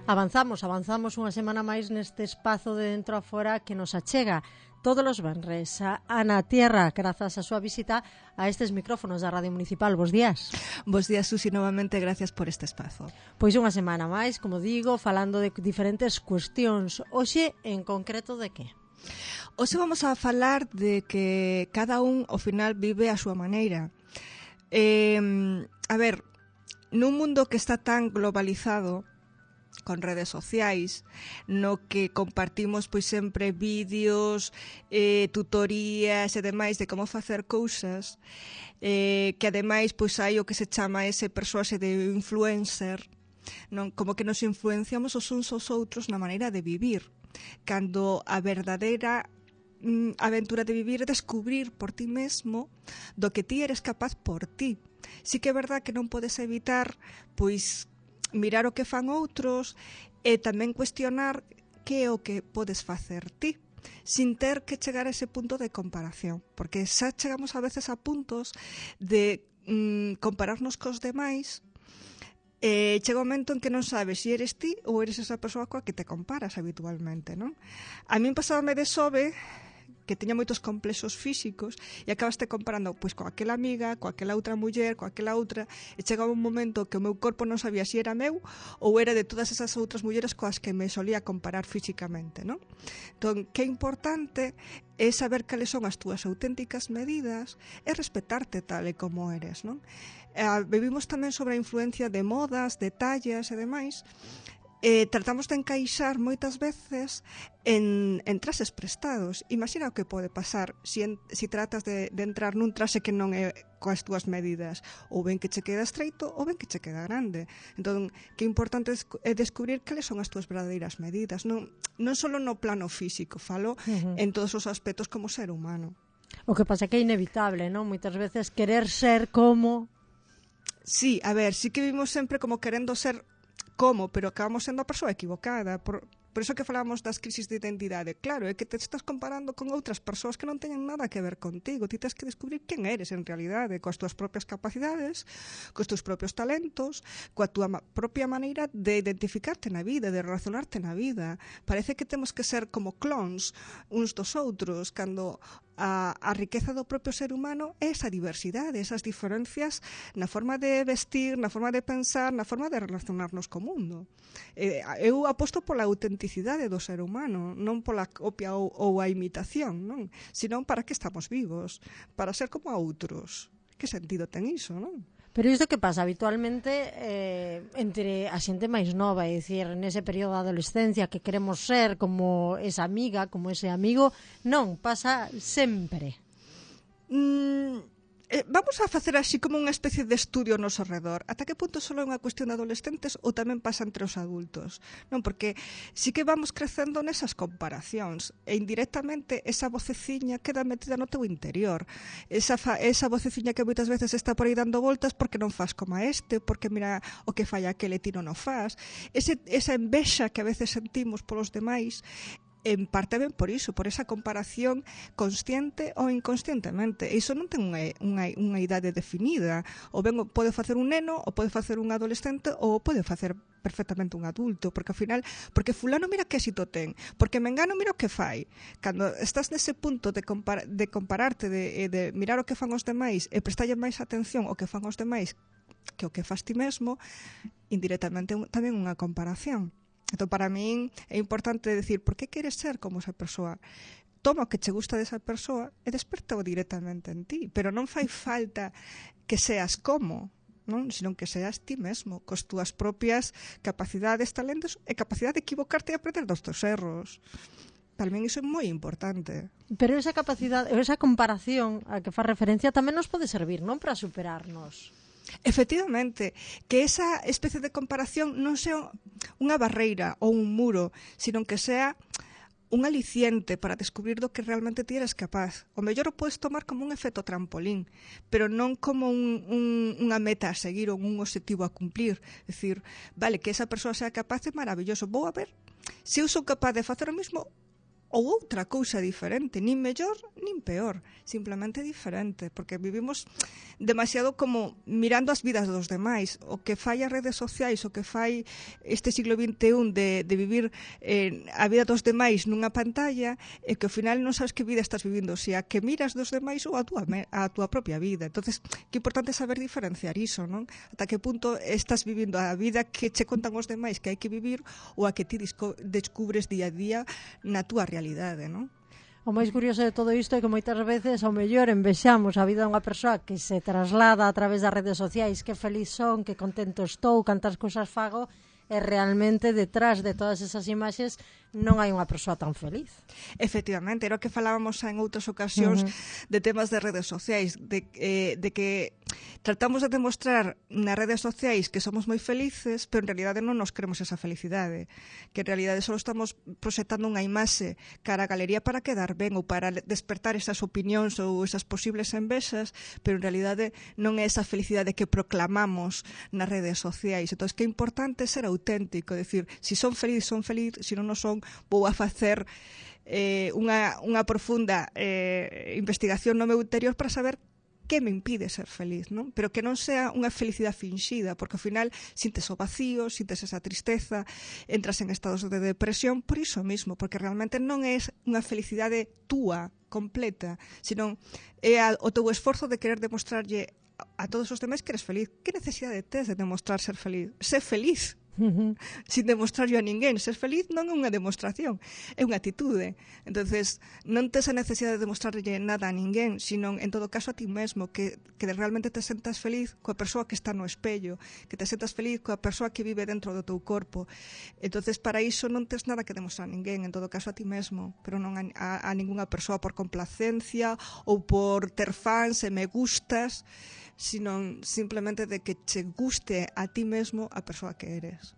Avanzamos unha semana máis neste espazo de dentro a fora que nos achega todos os venres a Ana Tierra, grazas a súa visita a estes micrófonos da Radio Municipal. Bos días. Bos días, Susi, novamente gracias por este espazo. Pois unha semana máis, como digo, falando de diferentes cuestións. Hoxe, en concreto, de que? Hoxe vamos a falar de que cada un, ao final, vive a súa maneira. A ver, nun mundo que está tan globalizado, con redes sociais, no que compartimos pois sempre vídeos, tutorías e demais de como facer cousas, que ademais pois hai o que se chama ese persoaxe de influencer, non? Como que nos influenciamos os uns aos outros na maneira de vivir, cando a verdadeira aventura de vivir é descubrir por ti mesmo do que ti eres capaz por ti. Sí que é verdad que non podes evitar pois mirar o que fan outros e tamén cuestionar que é o que podes facer ti, sin ter que chegar a ese punto de comparación, porque xa chegamos a veces a puntos de compararnos cos demais e chega un momento en que non sabes se eres ti ou eres esa persoa coa que te comparas habitualmente, non? A min pasábame de sobe que tiña moitos complexos físicos e acabaste comparando pois coa aquela amiga, coa aquela outra muller, coa aquela outra, e chegaba un momento que o meu corpo non sabía se era meu ou era de todas esas outras mulleres coas que me solía comparar físicamente, non? Entón, que importante é saber cales son as túas auténticas medidas e respetarte tal e como eres, non? Vivimos tamén sobre a influencia de modas, de tallas e demais. Tratamos de encaixar moitas veces en traxes prestados. Imagina o que pode pasar se tratas de entrar nun traxe que non é coas túas medidas, ou ben que che queda estreito ou ben que che queda grande. Entón, que importante é descubrir cales son as túas verdadeiras medidas, non só no plano físico, falo en todos os aspectos como ser humano. O que pasa que é inevitable, non? Moitas veces querer ser como... Sí, a ver, sí que vivimos sempre como querendo ser pero acabamos sendo a persoa equivocada. Por iso que falamos das crisis de identidade. Claro, é que te estás comparando con outras persoas que non teñen nada que ver contigo. Ti tens que descubrir quen eres en realidade, coas túas propias capacidades, cos teus propios talentos, coa túa propia maneira de identificarte na vida, de relacionarte na vida. Parece que temos que ser como clones uns dos outros, cando a riqueza do propio ser humano é esa diversidade, esas diferencias na forma de vestir, na forma de pensar, na forma de relacionarnos co mundo. Eu aposto pola autenticidade do ser humano, non pola copia ou a imitación, non? Senón para que estamos vivos, para ser como a outros. Que sentido ten iso, non? Pero isto que pasa habitualmente entre a xente máis nova, é dicir, nese período da adolescencia que queremos ser como esa amiga, como ese amigo, non, pasa sempre. Vamos a facer así como unha especie de estudio ao noso redor. Ata que punto só é unha cuestión de adolescentes ou tamén pasa entre os adultos? Non, porque sí que vamos crecendo nesas comparacións e indirectamente esa voceciña queda metida no teu interior. Esa voceciña que moitas veces está por aí dando voltas porque non faz como este, porque mira o que fai aquele e ti non o faz. Esa envexa que a veces sentimos polos demais en parte ben por iso, por esa comparación consciente ou inconscientemente. Iso non ten unha idade definida. O ben pode facer un neno, ou pode facer un adolescente, ou pode facer perfectamente un adulto, porque ao final, porque fulano mira que éxito ten, porque mengano mira o que fai. Cando estás nese punto de compararte, de mirar o que fan os demais e prestalle máis atención ao que fan os demais que o que faz ti mesmo, indirectamente tamén unha comparación. Entón, para min é importante decir por que queres ser como esa persoa. Toma o que che gusta desa persoa e desperta-o directamente en ti, pero non fai falta que seas como, non? Senón que seas ti mesmo, cos túas propias capacidades, talentos e capacidade de equivocarte e aprender dos teus erros. Para min iso é moi importante. Pero esa capacidade, esa comparación a que faz referencia tamén nos pode servir, non? Para superarnos. Efectivamente, que esa especie de comparación non sea unha barreira ou un muro, sino que sea un aliciente para descubrir do que realmente ti eres capaz. O mellor o podes tomar como un efecto trampolín, pero non como unha meta a seguir ou un objetivo a cumplir. É dicir, vale, que esa persoa sea capaz é maravilloso. Vou a ver se eu sou capaz de facer o mismo ou outra cousa diferente, nin mellor nin peor, simplemente diferente, porque vivimos demasiado como mirando as vidas dos demais. O que fai as redes sociais, o que fai este siglo XXI de vivir a vida dos demais nunha pantalla, é que ao final non sabes que vida estás vivindo, se a que miras dos demais ou a túa propia vida. Entonces, que importante saber diferenciar iso, non? Ata que punto estás vivindo a vida que che contan os demais que hai que vivir ou a que ti descubres día a día na túa realidade, non? O máis curioso de todo isto é que moitas veces ao mellor envexamos a vida dunha persoa que se traslada a través das redes sociais, que feliz son, que contento estou, cantas cousas fago, e realmente detrás de todas esas imaxes non hai unha persoa tan feliz. Efectivamente, era o que falábamos en outras ocasións de temas de redes sociais, de que tratamos de demostrar nas redes sociais que somos moi felices, pero en realidade non nos queremos esa felicidade, que en realidade só estamos proxectando unha imaxe cara a galería para quedar ben ou para despertar esas opinións ou esas posibles envexas, pero en realidade non é esa felicidade que proclamamos nas redes sociais. Entón, que é importante ser auténtico, decir, si son feliz, si non son, vou a facer unha profunda investigación no meu interior para saber que me impide ser feliz, non? Pero que non sea unha felicidade finxida, porque ao final sintes o vacío, sintes esa tristeza, entras en estados de depresión por iso mismo, porque realmente non é unha felicidade túa, completa, sino é o teu esforzo de querer demostrarlle a todos os demais que eres feliz. Que necesidade tes de demostrar ser feliz? Sé feliz, sin demostrarlo a ninguén. Ser feliz non é unha demostración, é unha atitude. Entonces, non tes a necesidade de demostrarlle nada a ninguén, sino en todo caso a ti mesmo, que realmente te sentas feliz coa persoa que está no espello, que te sentas feliz coa persoa que vive dentro do teu corpo. Entonces, para iso non tes nada que demostrar a ninguén, en todo caso a ti mesmo, pero non a ningunha persoa por complacencia ou por ter fans e me gustas, sino simplemente de que che guste a ti mesmo a persoa que eres.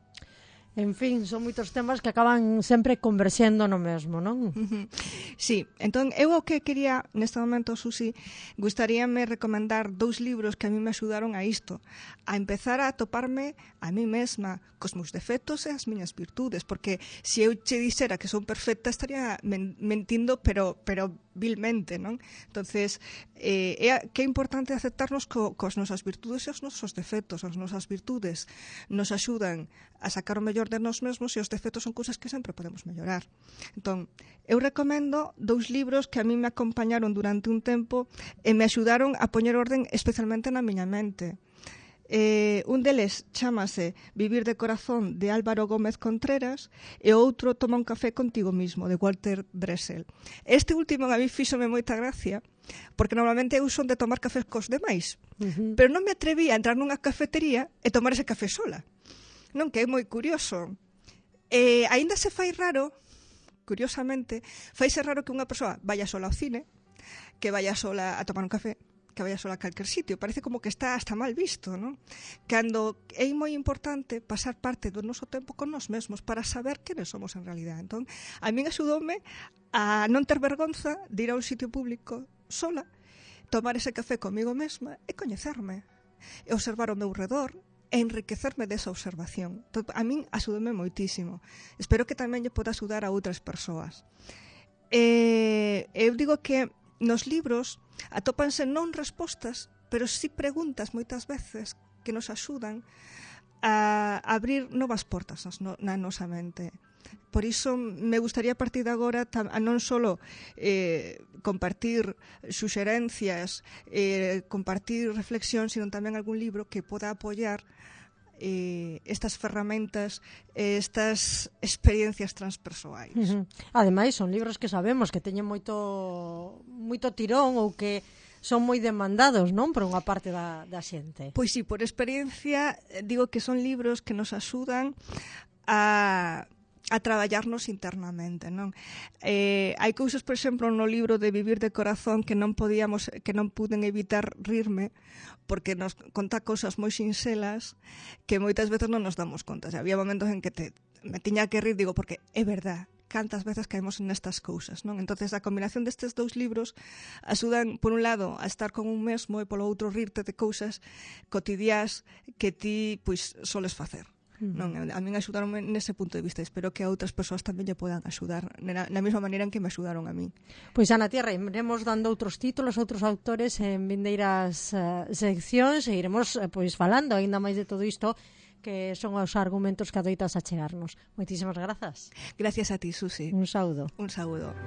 En fin, son moitos temas que acaban sempre converxendo no mesmo, non? Sí, entón, eu o que quería neste momento, Susi, gustaríame recomendar 2 libros que a mí me axudaron a isto, a empezar a toparme a mí mesma cos meus defectos e as miñas virtudes, porque se eu che dixera que son perfecta estaría mentindo, pero vilmente, non? Entonces, que é importante aceptarnos cos nosas virtudes e os nosos defectos. As nosas virtudes nos axudan a sacar o mellor de nós mesmos e os defectos son cousas que sempre podemos mellorar. Entón, eu recomendo 2 libros que a mí me acompañaron durante un tempo e me axudaron a poñer orden especialmente na miña mente. Un deles chámase Vivir de corazón, de Álvaro Gómez Contreras, e o outro Toma un café contigo mismo, de Walter Dressel. Este último a mí fíxome moita gracia, porque normalmente eu son de tomar cafés cos demais, pero non me atreví a entrar nunha cafetería e tomar ese café sola. Non, que é moi curioso. Aínda se fai raro, curiosamente, faise raro que unha persoa vaya sola ao cine, que vaya sola a tomar un café, que vaya sola a calquer sitio. Parece como que está hasta mal visto, non? Cando é moi importante pasar parte do noso tempo con nós mesmos para saber quenes somos en realidad. Entón, a min axudoume a non ter vergonza de ir a un sitio público sola, tomar ese café comigo mesma e coñecerme, e observar o meu redor, e enriquecerme desa observación. Entón, a min axudoume moitísimo. Espero que tamén lle poda axudar a outras persoas. Eu digo que nos libros atópanse non respostas, pero sí preguntas moitas veces que nos axudan a abrir novas portas na nosa mente. Por iso me gustaría a partir de agora a non só compartir suxerencias, compartir reflexión, sino tamén algún libro que poda apoiar estas ferramentas, estas experiencias transpersoais. Ademais, son libros que sabemos que teñen moito tirón ou que son moi demandados, non? Por unha parte da xente. Pois sí, por experiencia digo que son libros que nos axudan a traballarnos internamente, non? Hai cousas, por exemplo, no libro de Vivir de corazón que non puden evitar rirme, porque nos conta cousas moi sinxelas que moitas veces non nos damos conta. Había momentos en que me tiña que rir, digo, porque é verdad, cantas veces caemos nestas cousas, non? Entonces, a combinación destes 2 libros axudan, por un lado, a estar con un mesmo e polo outro rirte de cousas cotidiás que ti, pois, soles facer. Non, a min axudaronme nese punto de vista. Espero que a outras persoas tamén lle podan axudar na mesma maneira en que me axudaron a min. Pois Ana Tierra, iremos dando outros títulos, outros autores en vindeiras seccións e iremos pois falando aínda máis de todo isto que son os argumentos que adoitas a chegarnos. Moitísimas grazas. Gracias a ti, Susi. Un saúdo. Un saúdo.